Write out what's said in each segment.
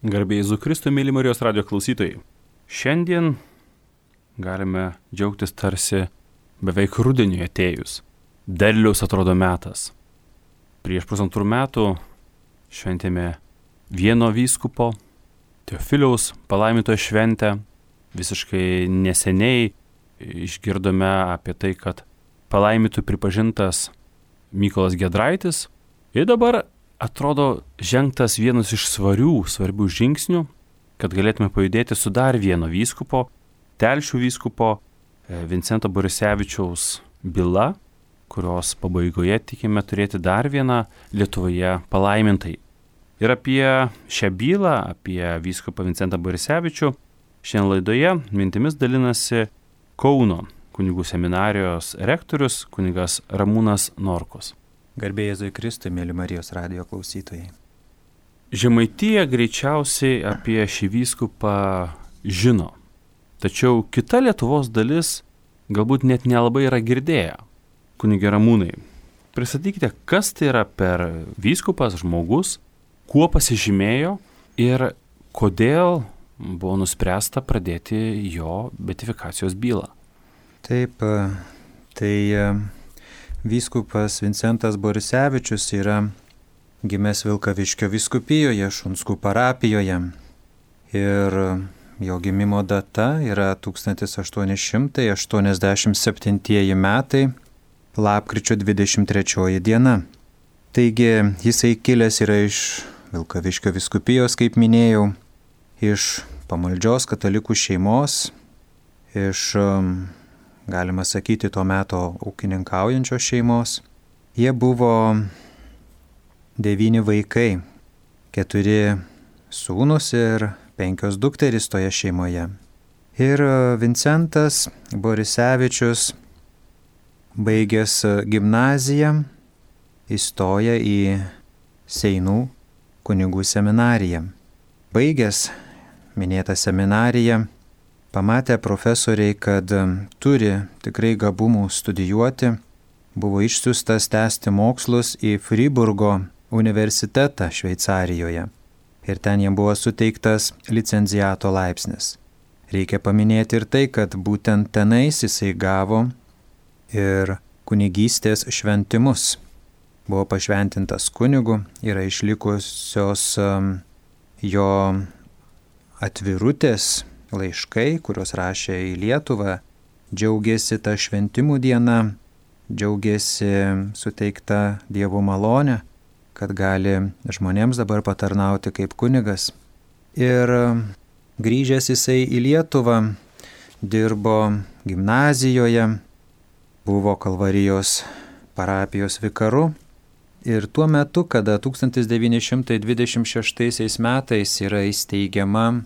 Garbė Jėzų Kristų, mėly Marijos radijo klausytojai. Šiandien galime džiaugtis tarsi beveik rudeniui atėjus. Derliaus atrodo metas. Prieš 1,5 metų šventėme vieno vyskupo, Teofiliaus palaimintojo šventę. Visiškai neseniai išgirdome apie tai, kad palaimintu pripažintas Mykolas Giedraitis. Ir dabar atrodo žengtas vienas iš svarbių žingsnių, kad galėtume pajudėti su dar vieno vyskupo, Telšių vyskupo Vincento Borisevičiaus byla, kurios pabaigoje tikime turėti dar vieną Lietuvoje palaimintai. Ir apie šią bylą, apie vyskupą Vincentą Borisevičių, šiandien laidoje mintimis dalinasi Kauno kunigų seminarijos rektorius kunigas Ramūnas Norkus. Garbė Jėzui Kristui, mėly Marijos radijo klausytojai. Žemaitija greičiausiai apie šį vyskupą žino, tačiau kita Lietuvos dalis galbūt net nelabai yra girdėję. Kunige Ramūnai, pristatykite, kas tai yra per vyskupas, žmogus, kuo pasižymėjo ir kodėl buvo nuspręsta pradėti jo beatifikacijos bylą. Taip, tai vyskupas Vincentas Borisevičius yra gimęs Vilkaviškio vyskupijoje, Šunskų parapijoje. Ir jo gimimo data yra 1887 metai, lapkričio 23 diena. Taigi jisai kilęs yra iš Vilkaviškio vyskupijos, kaip minėjau, iš pamaldžios katalikų šeimos, iš galima sakyti, to meto ūkininkaujančios šeimos. Jie buvo 9 vaikai, 4 sūnus ir 5 dukterys toje šeimoje. Ir Vincentas Borisevičius, baigęs gimnaziją, įstoja į Seinų kunigų seminariją. Baigęs minėtą seminariją, pamatė profesoriai, kad turi tikrai gabumų studijuoti, buvo išsiųstas tęsti mokslus į Friburgo universitetą Šveicarijoje. Ir ten jam buvo suteiktas licenciato laipsnis. Reikia paminėti ir tai, kad būtent tenais jisai gavo ir kunigystės šventimus. Buvo pašventintas kunigu, yra išlikusios jo atvirutės, laiškai, kuriuos rašė į Lietuvą, džiaugiasi tą šventimų dieną, džiaugiasi suteikta Dievo malonė, kad gali žmonėms dabar patarnauti kaip kunigas. Ir grįžęs jisai į Lietuvą, dirbo gimnazijoje, buvo Kalvarijos parapijos vikaru. Ir tuo metu, kada 1926 metais yra įsteigiama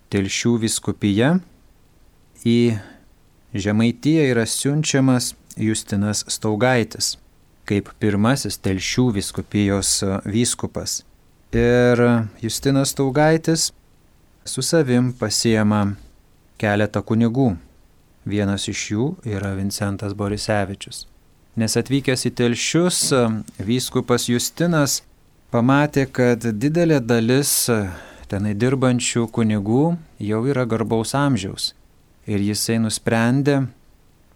Telšių vyskupija, į Žemaitiją yra siunčiamas Justinas Staugaitis kaip pirmasis Telšių vyskupijos vyskupas. Ir Justinas Staugaitis su savim pasiema keletą kunigų. Vienas iš jų yra Vincentas Borisevičius. Nes atvykęs į Telšius, vyskupas Justinas pamatė, kad didelė dalis tenai dirbančių kunigų jau yra garbaus amžiaus. Ir jisai nusprendė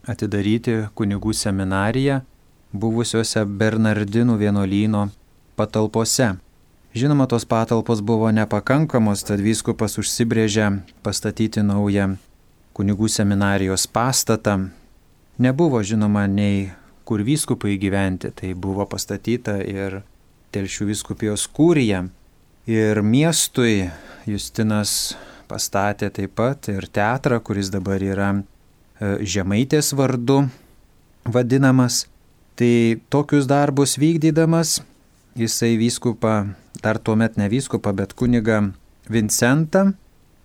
atidaryti kunigų seminariją buvusiuose Bernardinų vienuolyno patalpose. Žinoma, tos patalpos buvo nepakankamos, tad vyskupas užsibrėžė pastatyti naują kunigų seminarijos pastatą. Nebuvo, žinoma, nei kur vyskupai gyventi, tai buvo pastatyta ir Telšių vyskupijos kurija. Ir miestui Justinas pastatė taip pat ir teatrą, kuris dabar yra Žemaitės vardu vadinamas. Tai tokius darbus vykdydamas, jisai vyskupą, dar tuomet ne vyskupą, bet kunigą Vincentą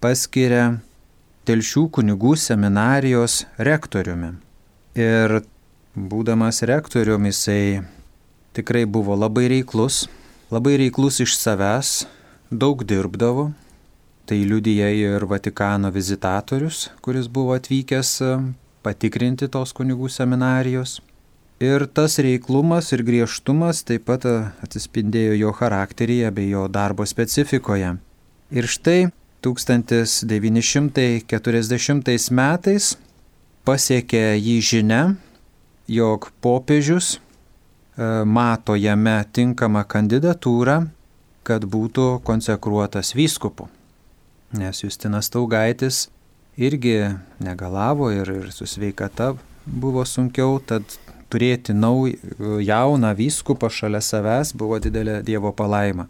paskiria Telšių kunigų seminarijos rektoriumi. Ir būdamas rektoriumi, jisai tikrai buvo labai reiklus iš savęs, daug dirbdavo. Tai liudija ir Vatikano vizitatorius, kuris buvo atvykęs patikrinti tos kunigų seminarijos. Ir tas reiklumas ir griežtumas taip pat atsispindėjo jo charakteryje bei jo darbo specifikoje. Ir štai 1940 metais pasiekė jį žinia, jog popiežius mato jame tinkamą kandidatūrą, kad būtų konsekruotas vyskupu. Nes Justinas Staugaitis irgi negalavo ir su sveikata buvo sunkiau, tad turėti jauną vyskupą šalia savęs buvo didelė Dievo palaima.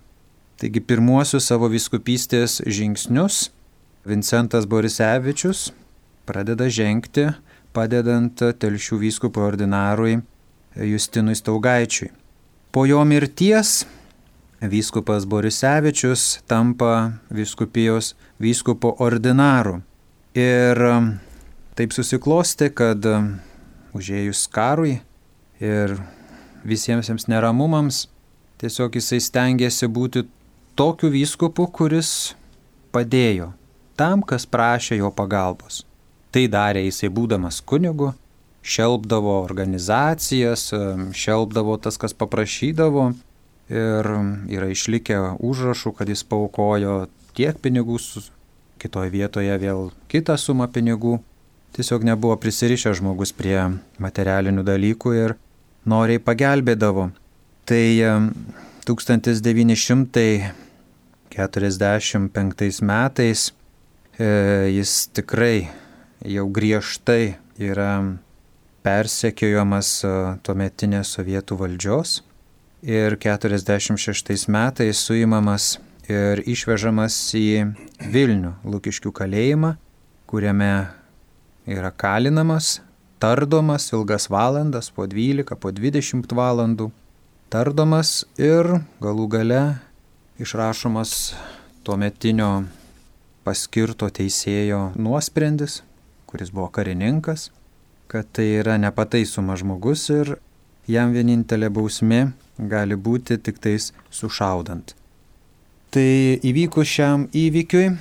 Taigi pirmuosius savo vyskupystės žingsnius Vincentas Borisevičius pradeda žengti, padedant Telšių vyskupui ordinarui Justinui Staugaičiui. Po jo mirties vyskupas Borisevičius tampa vyskupijos vyskupo ordinaru. Ir taip susiklosti, kad užėjus karui ir visiems neramumams, tiesiog jisai stengiasi būti tokiu vyskupu, kuris padėjo tam, kas prašė jo pagalbos. Tai darė jisai būdamas kunigu, šelpdavo organizacijas, šelpdavo tas, kas paprašydavo, ir yra išlikę užrašų, kad jis paaukojo tiek pinigų, kitoje vietoje vėl kitą sumą pinigų. Tiesiog nebuvo prisirišęs žmogus prie materialinių dalykų ir noriai pagelbėdavo. Tai 1945 metais jis tikrai jau griežtai yra persekiojamas tuometinės sovietų valdžios ir 46 metais suimamas ir išvežamas į Vilnių, Lukiškių kalėjimą, kuriame yra kalinamas, tardomas ilgas valandas, po 12, po 20 valandų, tardomas ir galų gale išrašomas tuometinio paskirto teisėjo nuosprendis, kuris buvo karininkas, kad tai yra nepataisomas žmogus ir jam vienintelė bausmė gali būti tik tais sušaudant. Tai įvykus šiam įvykiui,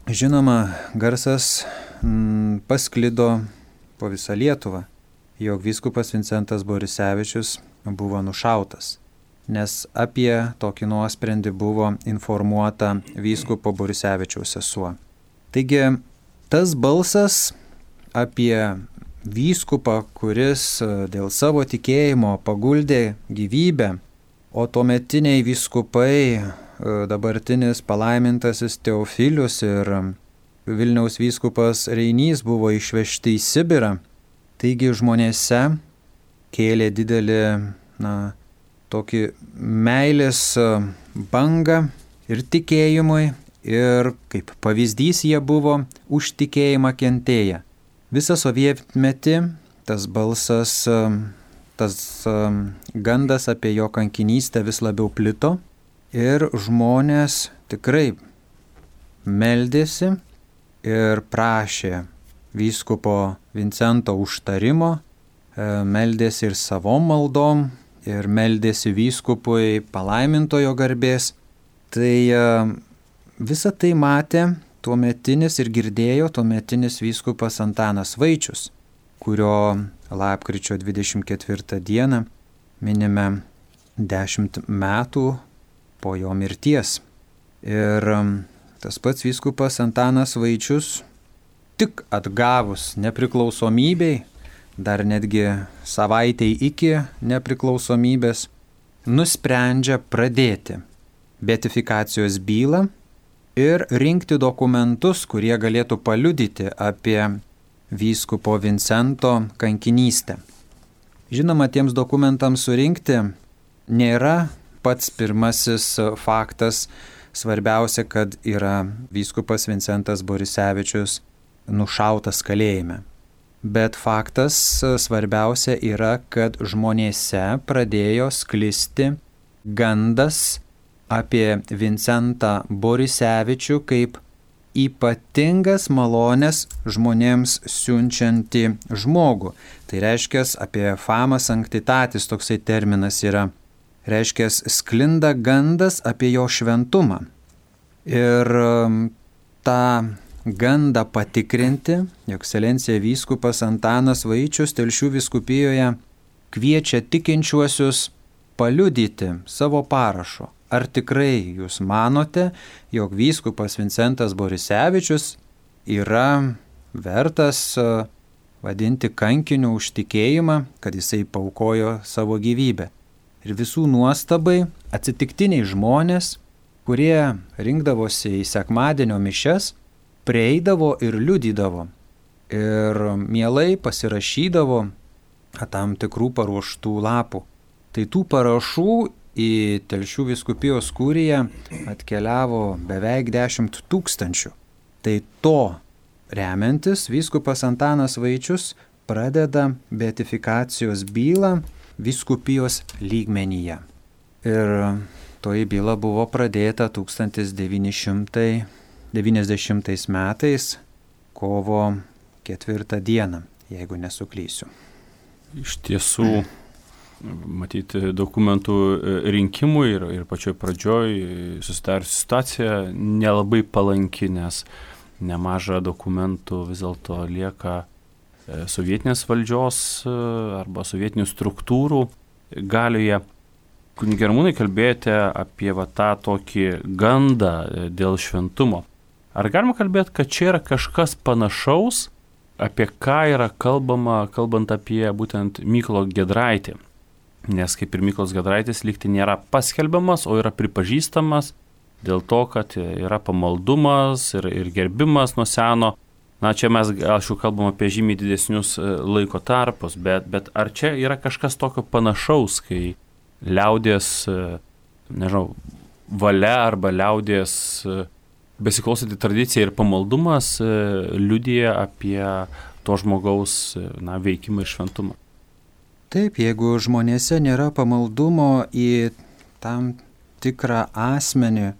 žinoma, garsas pasklido po visą Lietuvą, jog vyskupas Vincentas Borisevičius buvo nušautas, nes apie tokį nuosprendį buvo informuota vyskupo Borisevičiaus sesuo. Taigi, tas balsas apie vyskupą, kuris dėl savo tikėjimo paguldė gyvybę, o tuometiniai vyskupai, dabartinis palaimintasis Teofilius ir Vilniaus vyskupas Reinys buvo išvežti į Sibirą. Taigi žmonėse kėlė didelį, tokį meilės bangą ir tikėjimui, ir kaip pavyzdys jie buvo už tikėjimą kentėję. Visą sovietmetį tas balsas, tas gandas apie jo kankinystę vis labiau plito ir žmonės tikrai meldėsi ir prašė vyskupo Vincento užtarimo, meldėsi ir savom maldom ir meldėsi vyskupui palaimintojo garbės. Tai visą tai matė tuometinis ir girdėjo tuometinis vyskupas Antanas Vaičius, kurio lapkričio 24 dieną minime 10 metų po jo mirties. Ir tas pats vyskupas Antanas Vaičius tik atgavus nepriklausomybei, dar netgi savaitei iki nepriklausomybės, nusprendžia pradėti beatifikacijos bylą ir rinkti dokumentus, kurie galėtų paliudyti apie vyskupo Vincento kankinystę. Žinoma, tiems dokumentams surinkti nėra pats pirmasis faktas. Svarbiausia, kad yra vyskupas Vincentas Borisevičius nušautas kalėjime. Bet faktas svarbiausia yra, kad žmonėse pradėjo sklisti gandas apie Vincentą Borisevičių kaip ypatingas malonės žmonėms siunčiantį žmogų. Tai reiškia, apie fama sanctitatis toksai terminas yra. Reiškia, sklinda gandas apie jo šventumą. Ir tą gandą patikrinti, jo ekscelencija vyskupas Antanas Vaičius Telšių vyskupijoje kviečia tikinčiuosius paliudyti savo parašu, ar tikrai jūs manote, jog vyskupas Vincentas Borisevičius yra vertas vadinti kankiniu už tikėjimą, kad jisai paaukojo savo gyvybę. Ir visų nuostabai atsitiktiniai žmonės, kurie rinkdavosi į sekmadienio mišias, prieidavo ir liudydavo. Ir mielai pasirašydavo tam tikrų paruoštų lapų. Tai tų parašų į Telšių vyskupijos kuriją atkeliavo beveik 10 000. Tai to remiantis vyskupas Antanas Vaičius pradeda beatifikacijos bylą vyskupijos lygmenyje. Ir toji byla buvo pradėta 1990 metais kovo 4 dieną, jeigu nesuklysiu. Iš tiesų, matyti dokumentų rinkimui ir pačioj pradžioj susidariusi situacija nelabai palanki, nes nemaža dokumentų vis dėlto lieka sovietinės valdžios arba sovietinių struktūrų galioje. Kunige Ramūnai, kalbėjote apie tą tokį gandą dėl šventumo. Ar galima kalbėti, kad čia yra kažkas panašaus, apie ką yra kalbama, kalbant apie būtent Mykolą Giedraitį? Nes kaip ir Mykolas Giedraitis lygtai nėra paskelbiamas, o yra pripažįstamas dėl to, kad yra pamaldumas ir gerbimas nuo seno. Na, čia mes, aš jau kalbam apie žymiai didesnius laiko tarpus, bet ar čia yra kažkas tokio panašaus, kai liaudės, nežinau, valia arba liaudės besiklausyti tradicija ir pamaldumas liudija apie to žmogaus veikimą ir šventumą? Taip, jeigu žmonėse nėra pamaldumo į tam tikrą asmenį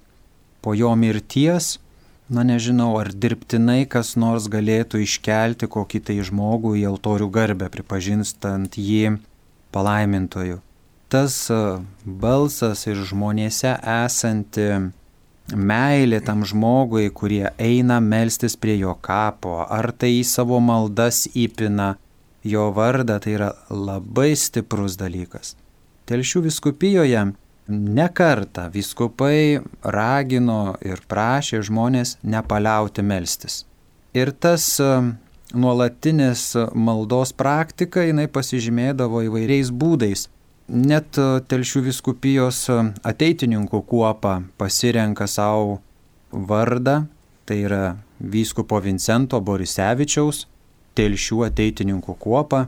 po jo mirties, nežinau, ar dirbtinai kas nors galėtų iškelti kokį tai žmogų į altorių garbę, pripažinstant jį palaimintoju. Tas balsas ir žmonėse esanti meilė tam žmogui, kurie eina melstis prie jo kapo, ar tai į savo maldas įpina jo vardą, tai yra labai stiprus dalykas. Telšių vyskupijoje ne kartą vyskupai ragino ir prašė žmonės nepaliauti melstis. Ir tas nuolatinis maldos praktika, jinai pasižymėdavo įvairiais būdais. Net Telšių vyskupijos ateitininkų kuopa pasirenka savo vardą, tai yra vyskupo Vincento Borisevičiaus Telšių ateitininkų kuopa.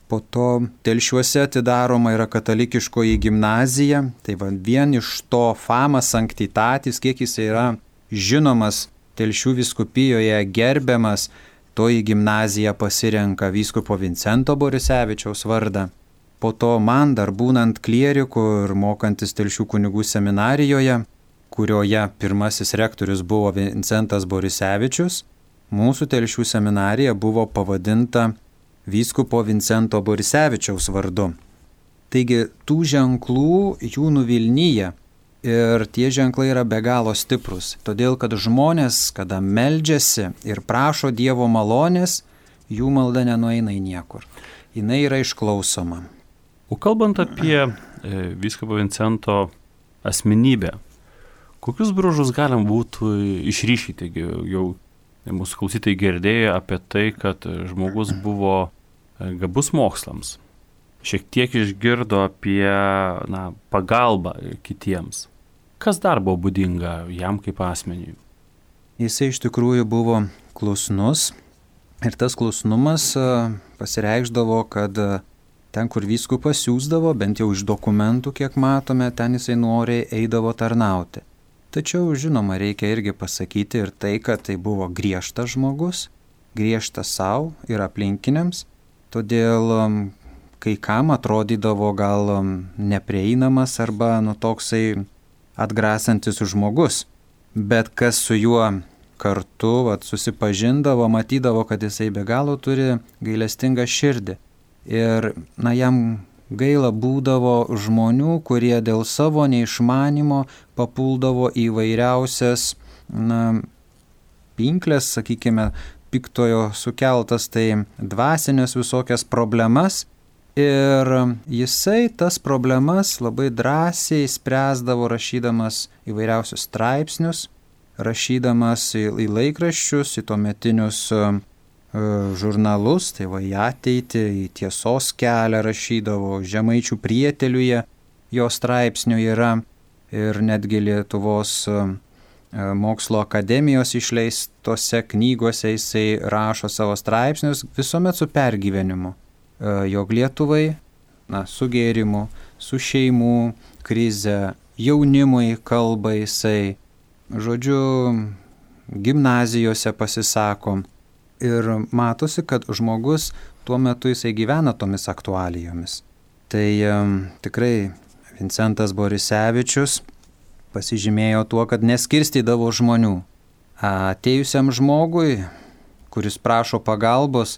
Po to Telšiuose atidaroma yra katalikiškoji gimnazija, tai vien iš to fama sanctitatis, kiek jis yra žinomas Telšių vyskupijoje, gerbiamas, toji gimnazija pasirenka vyskupo Vincento Borisevičiaus vardą. Po to man dar būnant klieriku ir mokantis Telšių kunigų seminarijoje, kurioje pirmasis rektorius buvo Vincentas Borisevičius, mūsų Telšių seminarija buvo pavadinta vyskupo Vincento Borisevičiaus vardu. Taigi tų ženklų jų nuvilnyja ir tie ženklai yra be galo stiprus, todėl kad žmonės, kada meldžiasi ir prašo Dievo malonės, jų malda nenueina į niekur. Jinai yra išklausoma. O kalbant apie vyskupo Vincento asmenybę, kokius bruožus galim būtų išryškyti? Jau mūsų klausytojai girdėjo apie tai, kad žmogus buvo gabus mokslams. Šiek tiek išgirdo apie pagalbą kitiems. Kas dar buvo būdinga jam kaip asmeniui? Jisai iš tikrųjų buvo klusnus ir tas klusnumas pasireikšdavo, kad ten, kur vyskupas siųsdavo, bent jau iš dokumentų, kiek matome, ten jisai noriai eidavo tarnauti. Tačiau, žinoma, reikia irgi pasakyti ir tai, kad tai buvo griežtas žmogus, griežtas savo ir aplinkiniams, todėl kai kam atrodydavo gal neprieinamas arba toksai atgrasantis žmogus, bet kas su juo kartu susipažindavo, matydavo, kad jisai be galo turi gailestingą širdį. Ir jam gaila būdavo žmonių, kurie dėl savo neišmanimo papuldavo į vairiausias pinklės, sakykime, piktojo sukeltas, tai dvasinės visokias problemas Ir jisai tas problemas labai drąsiai spręsdavo rašydamas įvairiausius straipsnius, rašydamas į laikraščius, į tuometinius žurnalus, tai va į ateitį, į Tiesos kelią rašydavo, Žemaičių prieteliuje jo straipsnių yra ir netgi Lietuvos mokslo akademijos išleistose knygose jisai rašo savo straipsnius visuomet su pergyvenimu, jog Lietuvai, su gėrimu, su šeimų krize, jaunimui kalba jisai, žodžiu, gimnazijose pasisako. Ir matosi, kad žmogus tuo metu jisai gyvena tomis aktualijomis. Tai tikrai Vincentas Borisevičius pasižymėjo tuo, kad neskirstydavo žmonių. Atėjusiam žmogui, kuris prašo pagalbos,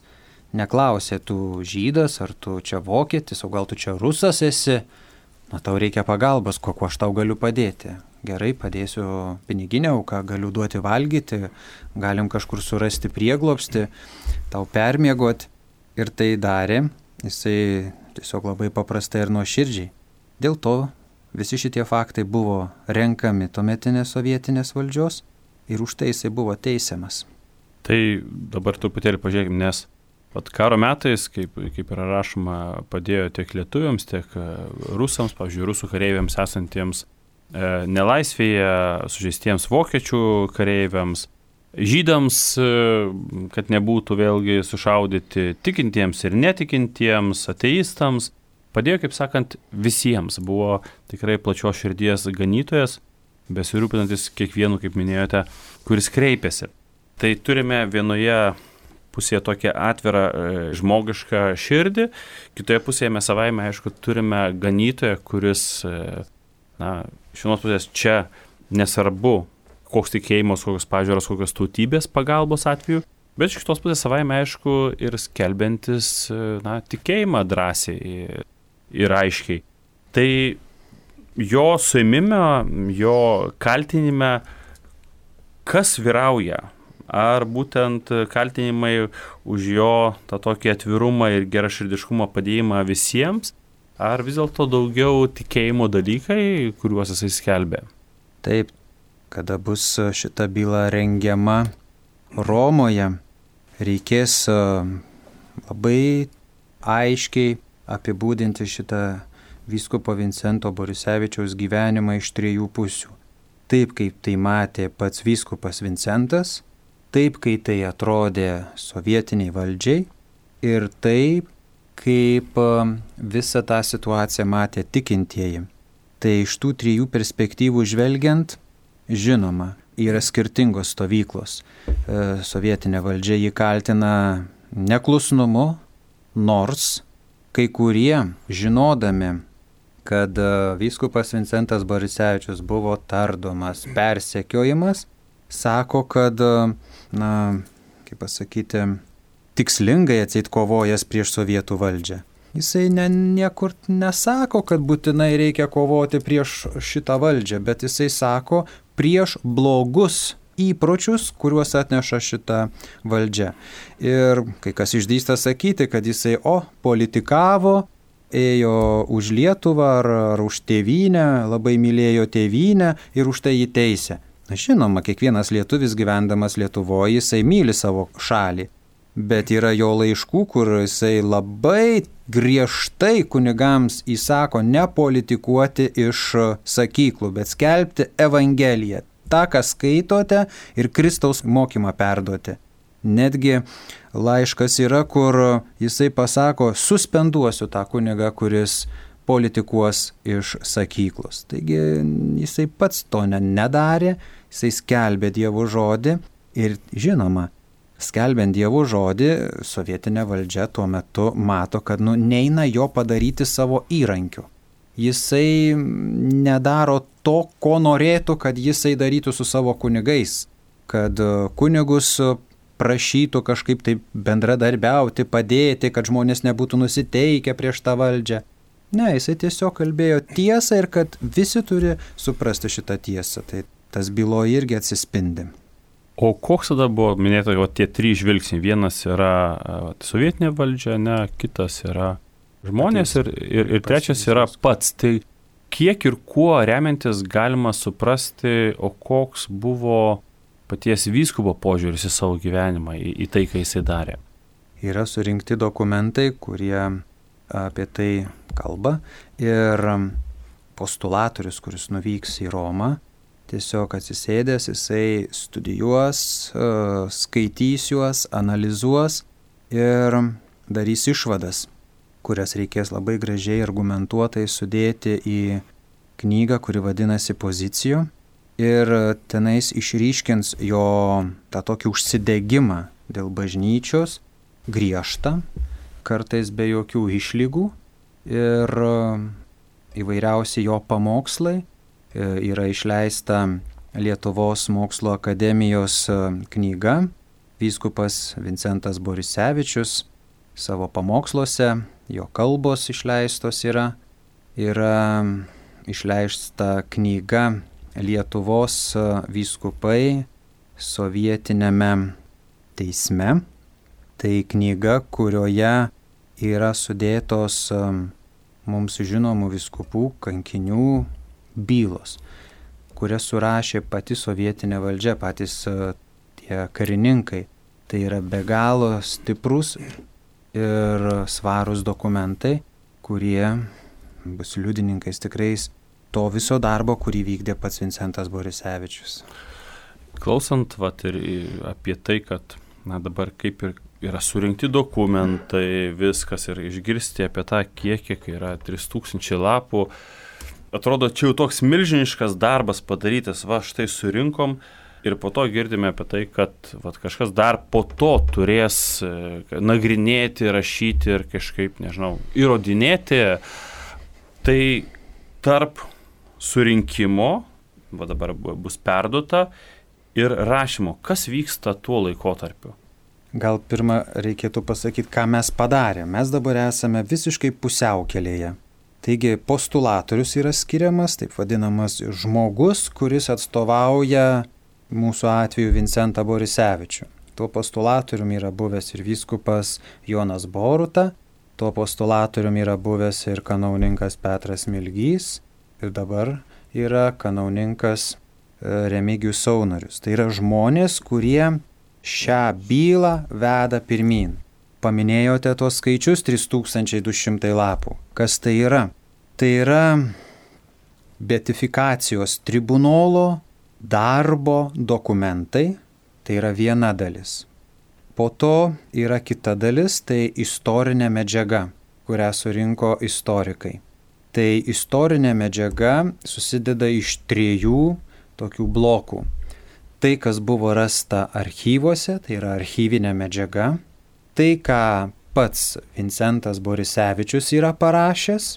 neklausė, tu žydas, ar tu čia vokietis, o gal tu čia rusas esi, tau reikia pagalbos, kuo aš tau galiu padėti. Gerai, padėsiu piniginę auką, galiu duoti valgyti, galim kažkur surasti prieglobstį, tau permiegoti. Ir tai darė, jisai tiesiog labai paprastai ir nuoširdžiai. Dėl to visi šitie faktai buvo renkami tuometinės sovietinės valdžios ir už tai jisai buvo teisiamas. Tai dabar truputėlį pažiūrėkime, nes karo metais, kaip yra rašoma, padėjo tiek lietuviams, tiek rusams, pavyzdžiui, rusų kareiviams esantiems nelaisvėje, sužeistiems vokiečių kareiviams, žydams, kad nebūtų vėlgi sušaudyti tikintiems ir netikintiems, ateistams. Padėjo, kaip sakant, visiems. Buvo tikrai plačios širdies ganytojas, besirūpinantis kiekvienu, kaip minėjote, kuris kreipėsi. Tai turime vienoje pusėje tokią atvirą žmogišką širdį, kitoje pusėje mes savaime, aišku, turime ganytoją, kuris, iš vienos pusės čia nesvarbu, koks tikėjimas, kokios pažiūros, kokios tautybės pagalbos atveju, bet iš kitos pusės savaime, aišku, ir skelbiantis tikėjimą drąsiai ir aiškiai. Tai jo suėmime, jo kaltinime, kas vyrauja? Ar būtent kaltinimai už jo tą tokį atvirumą ir geraširdiškumą padėjimą visiems, ar vis dėlto daugiau tikėjimo dalykai, kuriuos jisai skelbė? Taip, kada bus šita byla rengiama Romoje, reikės labai aiškiai apibūdinti šitą vyskupo Vincento Borisevičiaus gyvenimą iš 3 pusių. Taip, kaip tai matė pats vyskupas Vincentas, taip, kai tai atrodė sovietiniai valdžiai ir taip, kaip visą tą situaciją matė tikintieji. Tai iš tų 3 perspektyvų žvelgiant, žinoma, yra skirtingos stovyklos. Sovietinė valdžia jį kaltina neklusnumu, nors kai kurie, žinodami, kad vyskupas Vincentas Borisevičius buvo tardomas, persekiojimas, sako, kad, kaip pasakyti, tikslingai atseit kovojęs prieš sovietų valdžią. Jisai niekur nesako, kad būtinai reikia kovoti prieš šitą valdžią, bet jisai sako prieš blogus įpročius, kuriuos atneša šita valdžia. Ir kai kas išdrįsta sakyti, kad jisai politikavo, ėjo už Lietuvą ar už tėvynę, labai mylėjo tėvynę ir už tai jį teisė. Žinoma, kiekvienas lietuvis gyvendamas Lietuvoje, jisai myli savo šalį. Bet yra jo laiškų, kur jisai labai griežtai kunigams įsako nepolitikuoti iš sakyklų, bet skelbti Evangeliją. Ta, ką skaitote ir Kristaus mokymą perduoti. Netgi laiškas yra, kur jisai pasako, suspenduosiu tą kunigą, kuris politikuos iš sakyklos. Taigi jisai pats to nedarė, jisai skelbė Dievo žodį ir žinoma, skelbiant Dievo žodį, sovietinė valdžia tuo metu mato, kad neina jo padaryti savo įrankiu. Jisai nedaro to, ko norėtų, kad jisai darytų su savo kunigais, kad kunigus prašytų kažkaip taip bendradarbiauti, padėti, kad žmonės nebūtų nusiteikę prieš tą valdžią. Ne, jisai tiesiog kalbėjo tiesą ir kad visi turi suprasti šitą tiesą. Tai tas byloje irgi atsispindi. O koks tada buvo, minėta, tie 3 žvilgsniai? Vienas yra sovietinė valdžia, kitas yra žmonės ir trečias yra pats. Tai kiek ir kuo remiantis galima suprasti, o koks buvo paties vyskupo požiūris į savo gyvenimą, į tai, ką jisai darė? Yra surinkti dokumentai, kurie apie tai kalba ir postulatorius, kuris nuvyks į Romą, tiesiog atsisėdęs, jisai studijuos, skaitys juos, analizuos ir darys išvadas, kurias reikės labai gražiai argumentuotai sudėti į knygą, kuri vadinasi Pozicijų. Ir tenais išryškins jo tą tokį užsidegimą dėl bažnyčios, griežtą, kartais be jokių išlygų, ir įvairiausi jo pamokslai. Yra išleista Lietuvos mokslo akademijos knyga, vyskupas Vincentas Borisevičius savo pamoksluose, jo kalbos išleistos yra išleista knyga Lietuvos vyskupai sovietinėme teisme. Tai knyga, kurioje yra sudėtos mums žinomų vyskupų, kankinių bylos, kurias surašė pati sovietinė valdžia, patys tie karininkai. Tai yra be galo stiprus ir svarūs dokumentai, kurie bus liudininkais tikrais to viso darbo, kurį vykdė pats Vincentas Borisevičius. Klausant ir apie tai, kad dabar kaip ir yra surinkti dokumentai, viskas, ir išgirsti apie tą kiekį, kai yra 3000 lapų, atrodo, čia jau toks milžiniškas darbas padarytas, štai surinkom, ir po to girdime apie tai, kad kažkas dar po to turės nagrinėti, rašyti ir kažkaip, įrodinėti. Tai tarp surinkimo, dabar bus perduota, ir rašymo, kas vyksta tuo laikotarpiu? Gal pirmą reikėtų pasakyti, ką mes padarėme. Mes dabar esame visiškai pusiaukelėje. Taigi postulatorius yra skiriamas, taip vadinamas žmogus, kuris atstovauja mūsų atveju Vincentą Borisevičių. Tuo postulatorium yra buvęs ir vyskupas Jonas Boruta, tuo postulatorium yra buvęs ir kanauninkas Petras Milgys ir dabar yra kanauninkas Remigijus Saunorius. Tai yra žmonės, kurie šią bylą veda pirmyn. Paminėjote tos skaičius 3200 lapų. Kas tai yra? Tai yra beatifikacijos tribunolo darbo dokumentai. Tai yra viena dalis. Po to yra kita dalis, tai istorinė medžiaga, kurią surinko istorikai. Tai istorinė medžiaga susideda iš 3 tokių blokų. Tai, kas buvo rasta archyvuose, tai yra archyvinė medžiaga. Tai, ką pats Vincentas Borisevičius yra parašęs.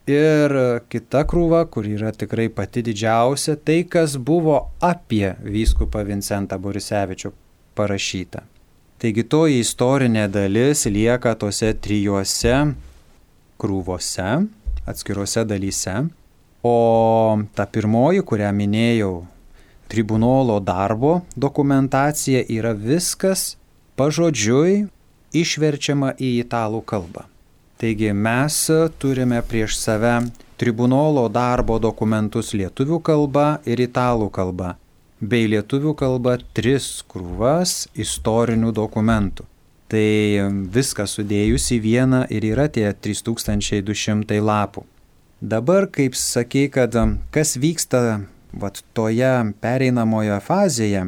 Ir kita krūva, kur yra tikrai pati didžiausia, tai, kas buvo apie vyskupą Vincentą Borisevičių parašyta. Taigi toji istorinė dalis lieka tose 3 krūvose, atskiruose dalyse. O ta pirmoji, kurią minėjau, tribunolo darbo dokumentacija, yra viskas pažodžiui išverčiama į italų kalbą. Taigi mes turime prieš save tribunolo darbo dokumentus lietuvių kalba ir italų kalba, bei lietuvių kalba 3 krūvas istorinių dokumentų. Tai viską sudėjus į vieną ir yra tie 3200 lapų. Dabar, kaip sakei, kad kas vyksta toje pereinamoje fazėje,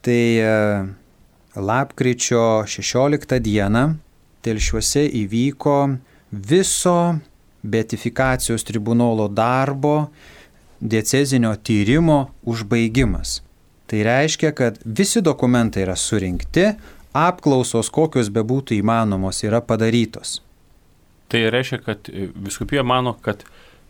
tai lapkričio 16 dieną Telšiuose įvyko viso beatifikacijos tribunolo darbo diecezinio tyrimo užbaigimas. Tai reiškia, kad visi dokumentai yra surinkti, apklausos kokios bebūtų įmanomos yra padarytos. Tai reiškia, kad vyskupija mano, kad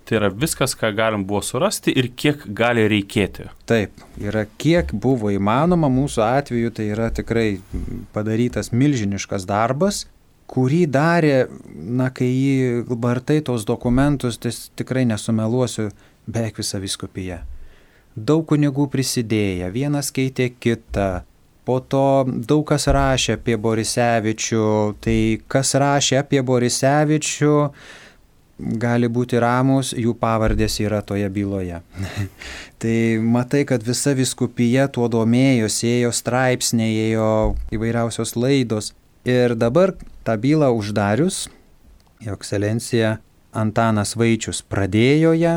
tai yra viskas, ką galim buvo surasti ir kiek gali reikėti. Taip, yra kiek buvo įmanoma, mūsų atveju tai yra tikrai padarytas milžiniškas darbas, kurį darė, kai jį vartai tos dokumentus, tai tikrai nesumeluosiu, beveik visa vyskupija. Daug kunigų prisidėję, vienas keitė kitą, Po to daug kas rašė apie Borisevičių. Tai kas rašė apie Borisevičių, gali būti ramus, jų pavardės yra toje byloje. Tai matai, kad visa vyskupija tuo domėjosi, ėjo straipsniai, ėjo įvairiausios laidos. Ir dabar tą bylą uždarius, Jo ekscelencija Antanas Vaičius pradėjo ją,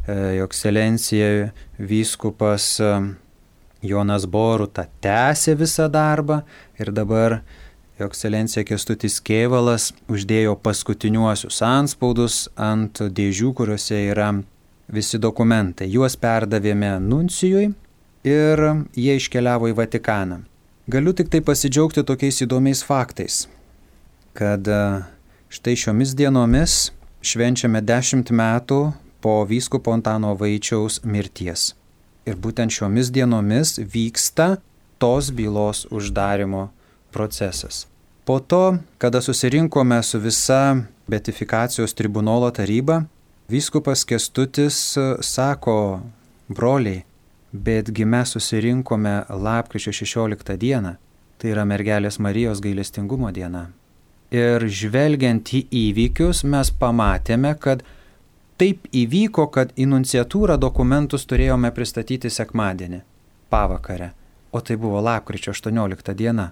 Jo ekscelencija vyskupas Jonas Boruta tęsė visą darbą ir dabar Jo ekscelencija Kęstutis Kėvalas uždėjo paskutiniuosius antspaudus ant dėžių, kuriuose yra visi dokumentai. Juos perdavėme nuncijui ir jie iškeliavo į Vatikaną. Galiu tik tai pasidžiaugti tokiais įdomiais faktais, kad štai šiomis dienomis švenčiame 10 metų po vyskupo Antano Vaičiaus mirties. Ir būtent šiomis dienomis vyksta tos bylos uždarimo procesas. Po to, kada susirinkome su visa beatifikacijos tribunolo taryba, vyskupas Kęstutis sako: broliai, betgi mes susirinkome lapkričio 16 dieną, tai yra Mergelės Marijos gailestingumo diena. Ir žvelgiant į įvykius mes pamatėme, kad taip įvyko, kad į nunciatūrą dokumentus turėjome pristatyti sekmadienį, pavakarę, o tai buvo lapkričio 18 diena.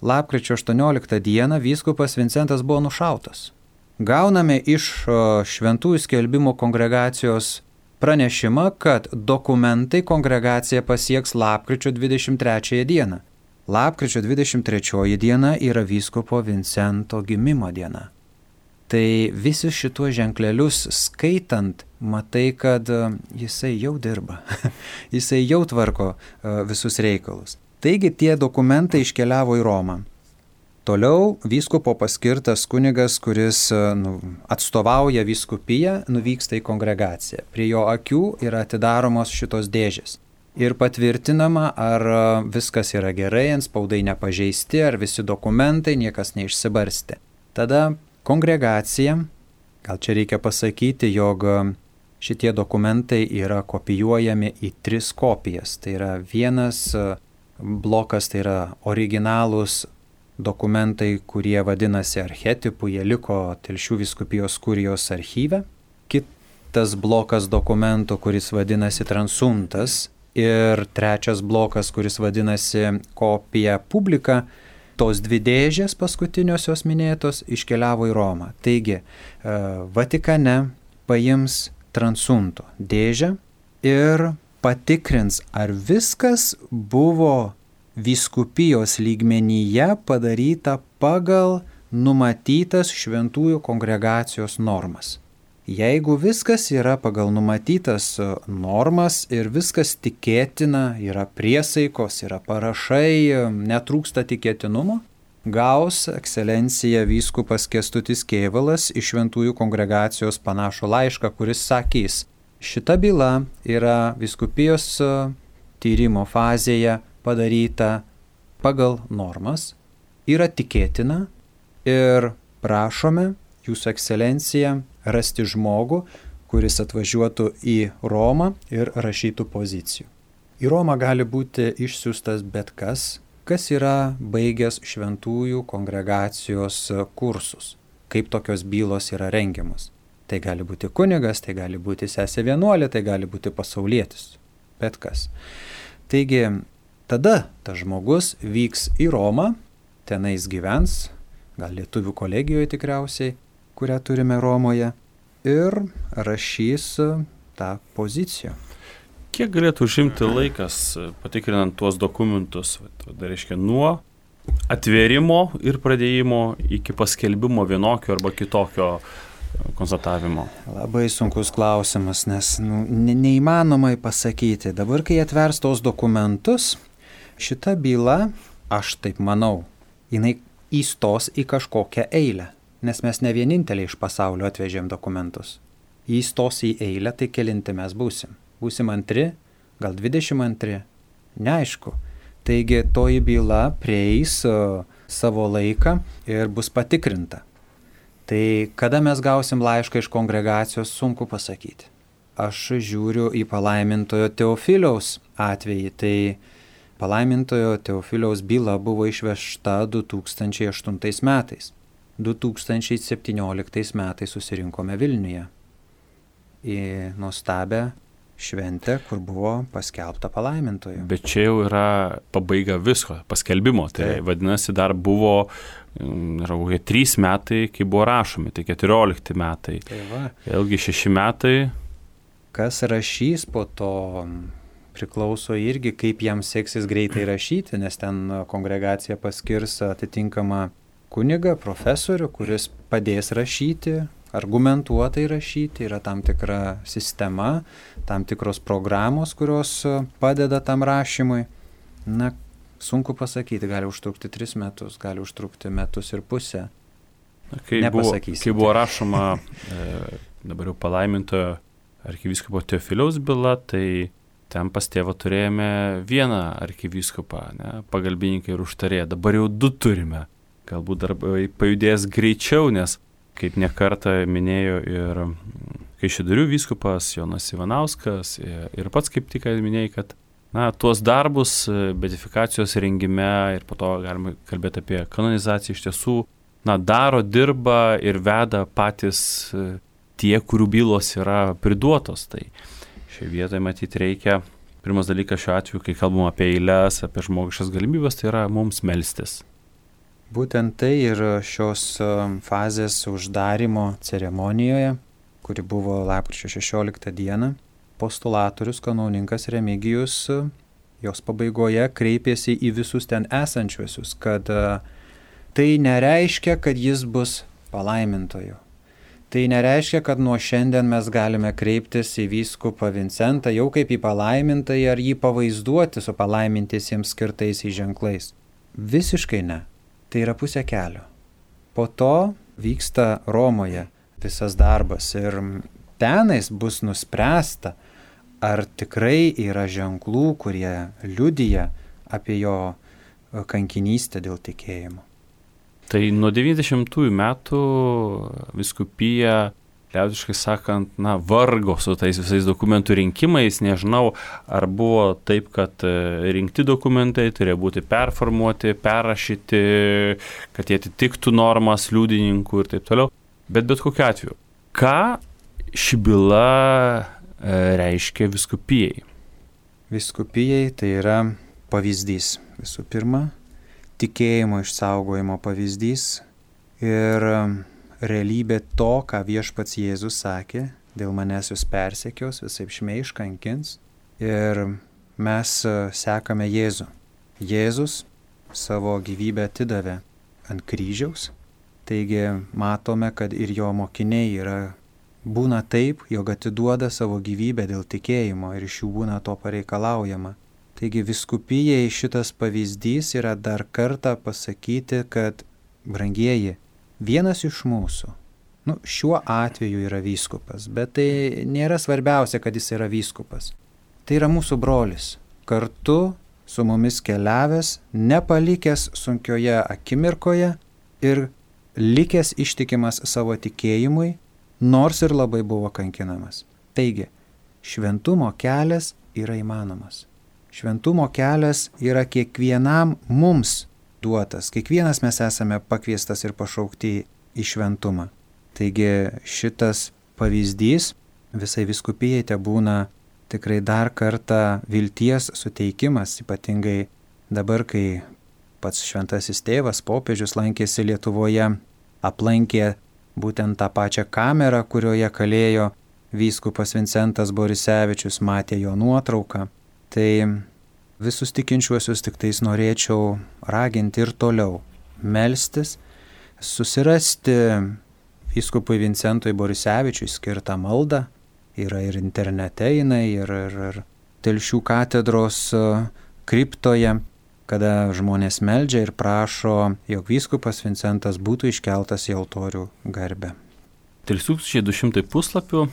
Lapkričio 18 dieną vyskupas Vincentas buvo nušautas. Gauname iš Šventųjų skelbimo kongregacijos pranešimą, kad dokumentai kongregacija pasieks lapkričio 23 dieną. Lapkričio 23 diena yra vyskupo Vincento gimimo diena. Tai visus šituos ženklelius skaitant, matai, kad jisai jau dirba, jisai jau tvarko visus reikalus. Taigi tie dokumentai iškeliavo į Romą. Toliau vyskupo paskirtas kunigas, kuris atstovauja vyskupiją, nuvyksta į kongregaciją. Prie jo akių yra atidaromos šitos dėžės. Ir patvirtinama, ar viskas yra gerai, antspaudai nepažeisti, ar visi dokumentai, niekas neišsibarstė. Tada kongregacija, gal čia reikia pasakyti, jog šitie dokumentai yra kopijuojami į 3 kopijas. Tai yra vienas blokas, tai yra originalūs dokumentai, kurie vadinasi archetipų, jie liko Telšių vyskupijos kurijos archyve. Kitas blokas dokumentų, kuris vadinasi transuntas. Ir trečias blokas, kuris vadinasi kopija publika. Tos 2 dėžės paskutiniosios minėtos iškeliavo į Romą. Taigi, Vatikane paims transunto dėžę ir patikrins, ar viskas buvo vyskupijos lygmenyje padaryta pagal numatytas šventųjų kongregacijos normas. Jeigu viskas yra pagal numatytas normas ir viskas tikėtina, yra priesaikos, yra parašai, netrūksta tikėtinumo, gaus ekscelencija vyskupas Kęstutis Kėvalas iš šventųjų kongregacijos panašų laišką, kuris sakys: šita byla yra vyskupijos tyrimo fazėje padaryta pagal normas, yra tikėtina ir prašome Jūsų ekscelenciją rasti žmogų, kuris atvažiuotų į Romą ir rašytų pozicijų. Į Romą gali būti išsiųstas bet kas, kas yra baigęs šventųjų kongregacijos kursus, kaip tokios bylos yra rengiamos. Tai gali būti kunigas, tai gali būti sesė vienuolė, tai gali būti pasaulietis, bet kas. Taigi, tada tas žmogus vyks į Romą, tenais gyvens, gal lietuvių kolegijoje tikriausiai, kurią turime Romoje, ir rašys tą poziciją. Kiek galėtų užimti laikas patikrinant tuos dokumentus, tai reiškia nuo atvėrimo ir pradėjimo iki paskelbimo vienokio arba kitokio konstatavimo? Labai sunkus klausimas, nes neįmanomai pasakyti. Dabar, kai atvers tos dokumentus, šita byla, aš taip manau, jinai įstos į kažkokią eilę. Nes mes ne vieninteliai iš pasaulio atvežėm dokumentus. Įstos į eilę, tai kelinti mes būsim. Būsim 2, gal 22, neaišku. Taigi toji byla prieis savo laiką ir bus patikrinta. Tai kada mes gausim laišką iš kongregacijos, sunku pasakyti. Aš žiūriu į palaimintojo Teofiliaus atvejį, tai palaimintojo Teofiliaus byla buvo išvežta 2008 metais. 2017 metais susirinkome Vilniuje į nuostabią šventę, kur buvo paskelbta palaimintojo. Bet čia jau yra pabaiga visko, paskelbimo. Tai vadinasi, dar buvo 3 metai, kai buvo rašomi, tai 14 metai. Vėlgi 6 metai. Kas rašys po to priklauso irgi, kaip jam seksis greitai rašyti, nes ten kongregacija paskirs atitinkamą kunigą, profesorių, kuris padės rašyti, argumentuotai rašyti, yra tam tikra sistema, tam tikros programos, kurios padeda tam rašymui. Na, sunku pasakyti, gali užtrukti 3 metus, gali užtrukti 1.5 metų. Kai buvo rašoma dabar jau palaimintojo arkivyskupo Teofiliaus byla, tai ten pas tėvą turėjome vieną arkivyskupą, pagalbininką ir užtarėją. Dabar jau 2 turime. Galbūt darbai pajudės greičiau, nes kaip nekartą minėjo ir Kaišiadorių vyskupas Jonas Ivanauskas ir pats kaip tik minėjai, kad tuos darbus beatifikacijos rengime ir po to galima kalbėti apie kanonizaciją iš tiesų daro, dirba ir veda patys tie, kurių bylos yra priduotos. Tai šioje vietoje matyti reikia, pirmas dalykas šiuo atveju, kai kalbam apie eiles, apie žmogiškas galimybės, tai yra mums melstis. Būtent tai ir šios fazės uždarimo ceremonijoje, kuri buvo lapkričio 16 dieną, postulatorius kanauninkas Remigijus jos pabaigoje kreipėsi į visus ten esančiuosius, kad tai nereiškia, kad jis bus palaimintoju. Tai nereiškia, kad nuo šiandien mes galime kreiptis į vyskupą Vincentą jau kaip į palaimintąjį ar jį pavaizduoti su palaimintiesiems skirtais ženklais. Visiškai ne. Tai yra pusė kelio. Po to vyksta Romoje visas darbas ir tenais bus nuspręsta, ar tikrai yra ženklų, kurie liudija apie jo kankinystę dėl tikėjimo. Tai nuo 90-ųjų metų vyskupija, liaudiškai sakant, vargo su tais visais dokumentų rinkimais. Nežinau, ar buvo taip, kad rinkti dokumentai turėjo būti performuoti, perrašyti, kad jie atitiktų normas liudininkų ir taip toliau. Bet kokiu atveju, ką ši byla reiškia vyskupijai? Vyskupijai tai yra pavyzdys. Visų pirma, tikėjimo išsaugojimo pavyzdys ir realybė to, ką viešpats Jėzus sakė, dėl manęs jūs persekios, visaip šmeiš, kankins. Ir mes sekame Jėzų. Jėzus savo gyvybę atidavė ant kryžiaus, taigi matome, kad ir jo mokiniai būna taip, jog atiduoda savo gyvybę dėl tikėjimo ir iš jų būna to pareikalaujama. Taigi vyskupijai šitas pavyzdys yra dar kartą pasakyti, kad brangieji, vienas iš mūsų, šiuo atveju yra vyskupas, bet tai nėra svarbiausia, kad jis yra vyskupas. Tai yra mūsų brolis, kartu su mumis keliavęs, nepalikęs sunkioje akimirkoje ir likęs ištikimas savo tikėjimui, nors ir labai buvo kankinamas. Taigi, šventumo kelias yra įmanomas. Šventumo kelias yra kiekvienam mums duotas. Kiekvienas mes esame pakviestas ir pašaukti į šventumą. Taigi šitas pavyzdys visai vyskupijai tebūna tikrai dar kartą vilties suteikimas, ypatingai dabar, kai pats šventasis tėvas, popiežius lankėsi Lietuvoje, aplankė būtent tą pačią kamerą, kurioje kalėjo vyskupas Vincentas Borisevičius, matė jo nuotrauką. Tai visus tikinčiuosius tik tais norėčiau raginti ir toliau melstis, susirasti vyskupui Vincentui Borisevičiui skirtą maldą, yra ir internete jinai, ir Telšių katedros kriptoje, kada žmonės meldžia ir prašo, jog vyskupas Vincentas būtų iškeltas į altorių garbę. 3200 puslapių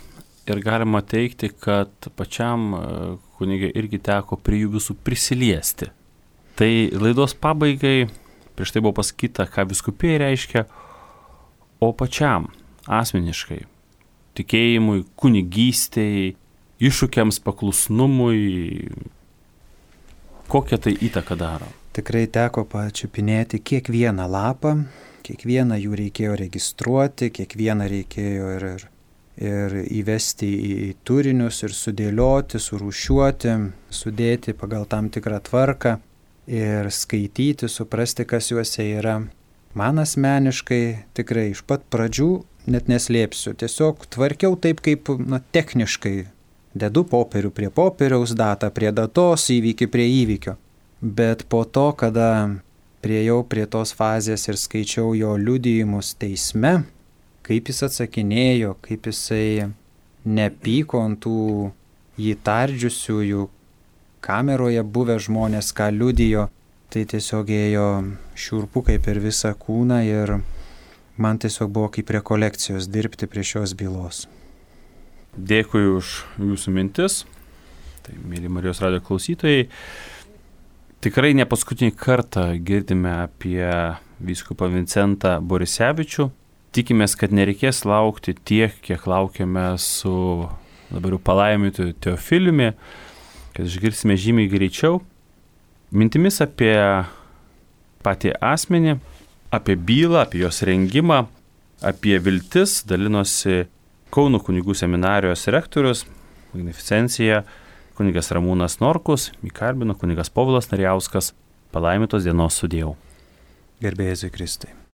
ir galima teigti, kad pačiam kunigui irgi teko prie jų visų prisiliesti. Tai laidos pabaigai, prieš tai buvo pasakyta, ką vyskupijai reiškia, o pačiam asmeniškai, tikėjimui, kunigystei, iššūkiams, paklusnumui, Kokią tai įtaką daro? Tikrai teko pačiupinėti kiekvieną lapą, kiekvieną jų reikėjo registruoti, kiekvieną reikėjo ir įvesti į turinius ir sudėlioti, surūšiuoti, sudėti pagal tam tikrą tvarką ir skaityti, suprasti, kas juose yra. Man asmeniškai tikrai iš pat pradžių, net neslėpsiu, tiesiog tvarkiau taip, kaip techniškai. Dedu popierių prie popieriaus, datą prie datos, įvykį prie įvykio. Bet po to, kada priejau prie tos fazės ir skaičiau jo liudijimus teisme, kaip jis atsakinėjo, kaip jisai nepyko ant tų jį tardžiusiųjų, kameroje buvę žmonės, ką liudijo, tai tiesiog ėjo šiurpukai per visą kūną ir man tiesiog buvo kaip rekolekcijos dirbti prie šios bylos. Dėkui už jūsų mintis. Tai, mėly Marijos radijo klausytojai, tikrai ne paskutinį kartą girdime apie vyskupą Vincentą Borisevičių. Tikimės, kad nereikės laukti tiek, kiek laukiame su dabar jau palaimintu Teofiliumi, kad išgirsime žymiai greičiau. Mintimis apie patį asmenį, apie bylą, apie jos rengimą, apie viltis dalinosi Kauno kunigų seminarijos rektorius, magnificencija, kunigas Ramūnas Norkus, jį kalbino kunigas Povilas Narijauskas. Palaimintos dienos sudėjau. Garbė Jėzui Kristui.